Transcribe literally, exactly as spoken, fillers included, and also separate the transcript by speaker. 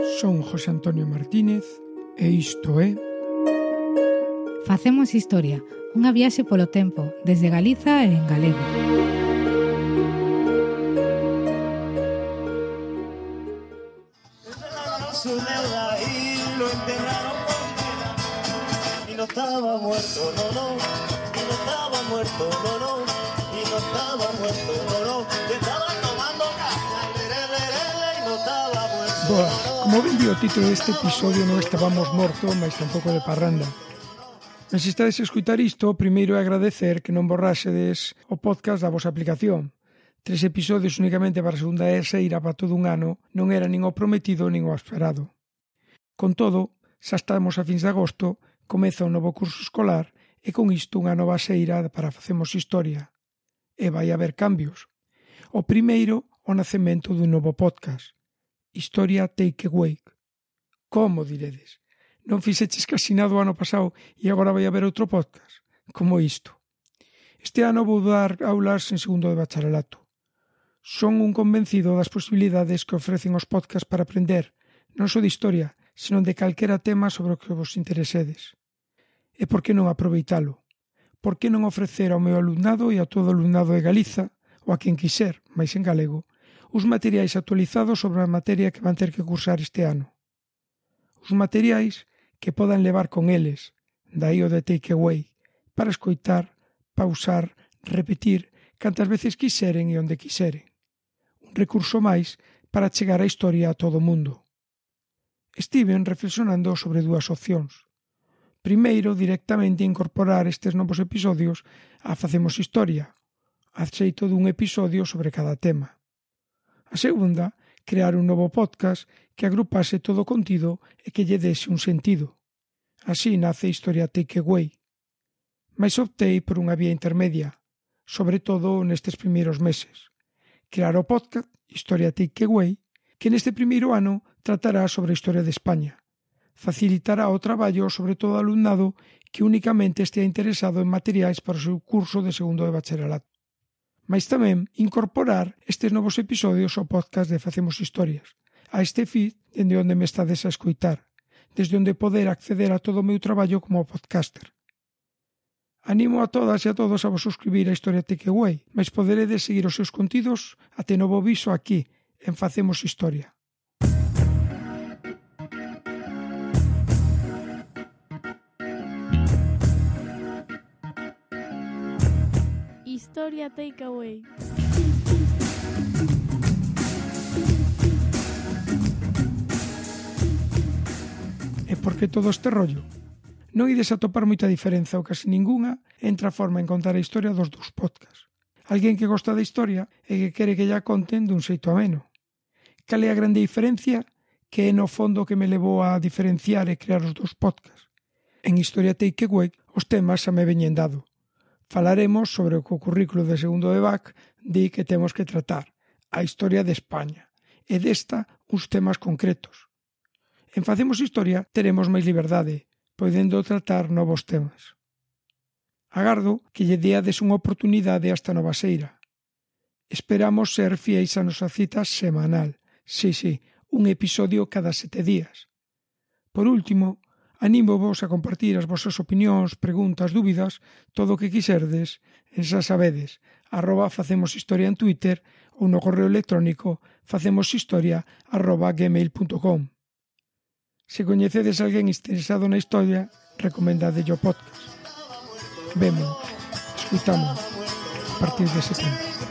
Speaker 1: Son José Antonio Martínez e isto é
Speaker 2: Facemos Historia, unha viaxe polo tempo, desde Galiza e en galego.
Speaker 3: Su deuda y lo enterraron con vida y no estaba muerto, no, no, y no estaba muerto, no, no, y no estaba muerto, no, no, que estaba tomando caña y no estaba muerto.
Speaker 1: Boa, como ben di o título deste episodio, non estábamos morto, mas tampouco de parranda. Mas se estades a escutar isto, primeiro é agradecer que non borraxedes o podcast da vosa aplicación. Tres episodios únicamente para a segunda eseira para todo un ano non era nin o prometido nin o esperado. Con todo, xa estamos a fins de agosto, comeza un novo curso escolar e con isto unha nova seira para Facemos Historia. E vai haber cambios. O primeiro, o nacemento dun novo podcast. Historia Takeaway. Como diredes? Non fixeches casi nada o ano pasado e agora vai haber outro podcast? Como isto? Este ano vou dar aulas en segundo de bacharelato. Son un convencido das posibilidades que ofrecen os podcasts para aprender, non só de historia, senón de calquera tema sobre o que vos interesedes. E por que non aproveitalo? Por que non ofrecer ao meu alumnado e a todo o alumnado de Galiza, ou a quen quiser, máis en galego, os materiais actualizados sobre a materia que van ter que cursar este ano? Os materiais que podan levar con eles, daí o de takeaway, para escoitar, pausar, repetir, cantas veces quiseren e onde quiseren. Un recurso máis para chegar a historia a todo o mundo. Estiven reflexionando sobre dúas opcións. Primeiro, directamente incorporar estes novos episodios a Facemos Historia, a xeito dun episodio sobre cada tema. A segunda, crear un novo podcast que agrupase todo o contido e que lle dese un sentido. Así nace Historia Takeaway. Mais optei por unha vía intermedia, sobre todo nestes primeiros meses. Crear o podcast Historia Takeaway, que neste primeiro ano tratará sobre a historia de España. Facilitará o traballo sobre todo alumnado que únicamente estea interesado en materiais para o seu curso de segundo de bacharelato. Mais tamén incorporar estes novos episodios ao podcast de Facemos Historias, a este feed dende onde me estades a escoitar, desde onde poder acceder a todo o meu traballo como podcaster. Animo a todas e a todos a vos suscribir a Historia Takeaway, mas poderedes seguir os seus contidos até novo viso aquí, en Facemos Historia.
Speaker 4: Historia Takeaway.
Speaker 1: E por que todo este rollo? Non ides a topar moita diferenza ou casi ningunha entre a forma en contar a historia dos dous podcasts. Alguén que gosta da historia e que quere que lla conten dun xeito ameno. Cal é a grande diferencia? Que é no fondo que me levou a diferenciar e crear os dous podcasts. En Historia Takeaway os temas xa me veñen dado. Falaremos sobre o que o currículo de segundo de B A C di que temos que tratar, a historia de España, e desta uns temas concretos. En Facemos Historia teremos máis liberdade, podendo tratar novos temas. Agardo que lle deades unha oportunidade a esta nova seira. Esperamos ser fiéis a nosa cita semanal, si, si, un episodio cada sete días. Por último, anímovos a compartir as vosas opinións, preguntas, dúbidas, todo o que quiserdes, en xa sabedes, arroba Facemos Historia en Twitter ou no correo electrónico facemoshistoria arroba gmail punto com. Se coñecedes alguén interesado na historia, recomendade o podcast. Vemo, escuitamos a partir de setembro.